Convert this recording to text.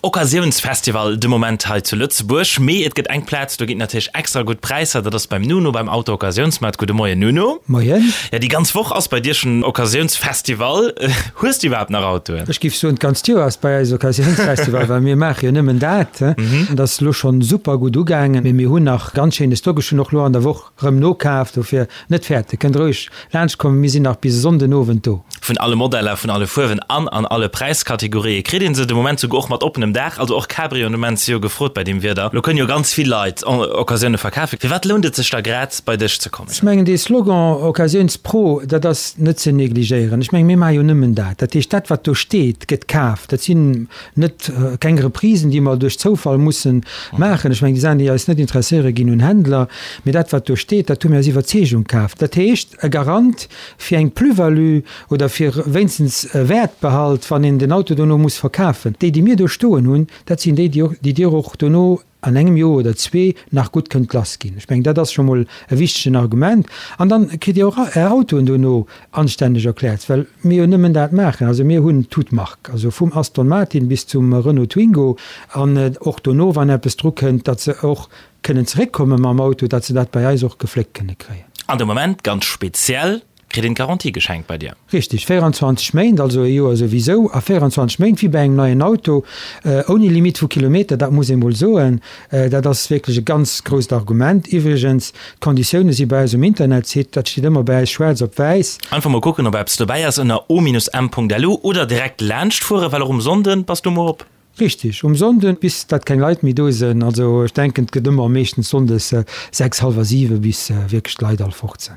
Occasiounsfestival de Moment hei zu Lëtzebuerg. Mee et gëtt eng Plaz, do ginn et natierlech extra gutt Präisser, dat ass beim Nuno beim Auto-Occasiounsmaart. Gudde Moien Nuno. Moien. Ja, déi ganz Woch ass bei dir schonn Occasiounsfestival. Hues du iwwerhaapt nach Autoen? Ech géif soen, d'ganzt Joer ass bei eis Occasiounsfestival, well mir maache jo nëmmen dat. Dat ass elo schonn super gutt ugaangen, mee mir hunn nach ganz schéine Stock. Ech hunn och elo an der Woch Rëm nokaf, dofir net fäerten, kënnt roueg laanscht kommen, mir sinn nach bis e Sonnden Owend do. Vun alle Modeller, vun alle Fuerwen an an alle Präiskategorië kritt een se de Moment souguer och mat oppenem Daach, also och Cabrioen de Moment si jo gefrot bei deem Wieder. Lo kënnen jo ganz vill Leit Occasioune verkafen. Firwat lount et sech da grad bei dech ze kommen? Ech mengen dee Slogan Occasiouns-Pro, dat ass net ze negligéieren. Ech mengen mir maache jo nëmmen dat. Dat heescht dat wat do steet gëtt kaf. Dat sinn Net keng Reprisen, déi mer duerch Zoufall mussen maachen. Ech mengen, déi Saachen, déi eis net interesséieren, ginn un Händler. Mee dat, wat do steet, dat hu mir aus Iwwerzeegung kaf. Dat heescht, e Garant fir eng Plus-value oder fir wéinstens e Wäertbehalt, wann een den Auto dono muss verkafen. Déi, déi mir do stoen hunn, dat sinn déi, déi Dir och dono an engem Joer oder zwee nach gutt kënnt lass ginn. Ech mengen, dat ass scho mol e wichtegen Argument. An dann kritt Dir och Är Autoen dono anstänneg erkläert, well mir jo nëmmen dat maachen. Also mir hunn toute marque, also vum Aston Martin bis zum Renault Twingo. An och dono, wann eppes dru kënnt, datt se och kënnen zeréckkomme mam Auto, datt se dat bei eis och gefléckt kënne kréien. An de Moment ganz speziell Kritt een d'Garantie geschenkt bei dir? Richteg, 24 Méint, also e Joer souwisou, a 24 Méint wéi bei engem neien Auto, ouni Limitt vu Kilometer, dat muss ee mol soen. Dat ass wierklech e ganz grousst Argument. Iwwregens, d'Konditioune si bei eis um Internetsite, dat steet ëmmer bei eis schwaarz op wäiss. Einfach mol kucken, ob eppes dobäi ass ënner o-m.lu oder direkt laanscht fueren, well och um Sonnden bass du muer op. Richteg, um Sonnden, bis dat keng Leit méi do sënn. Also ech denken, et gëtt ëmmer meeschtens Sonndes 6, hallwer 7, bis wierklech d'Leit all fort sënn.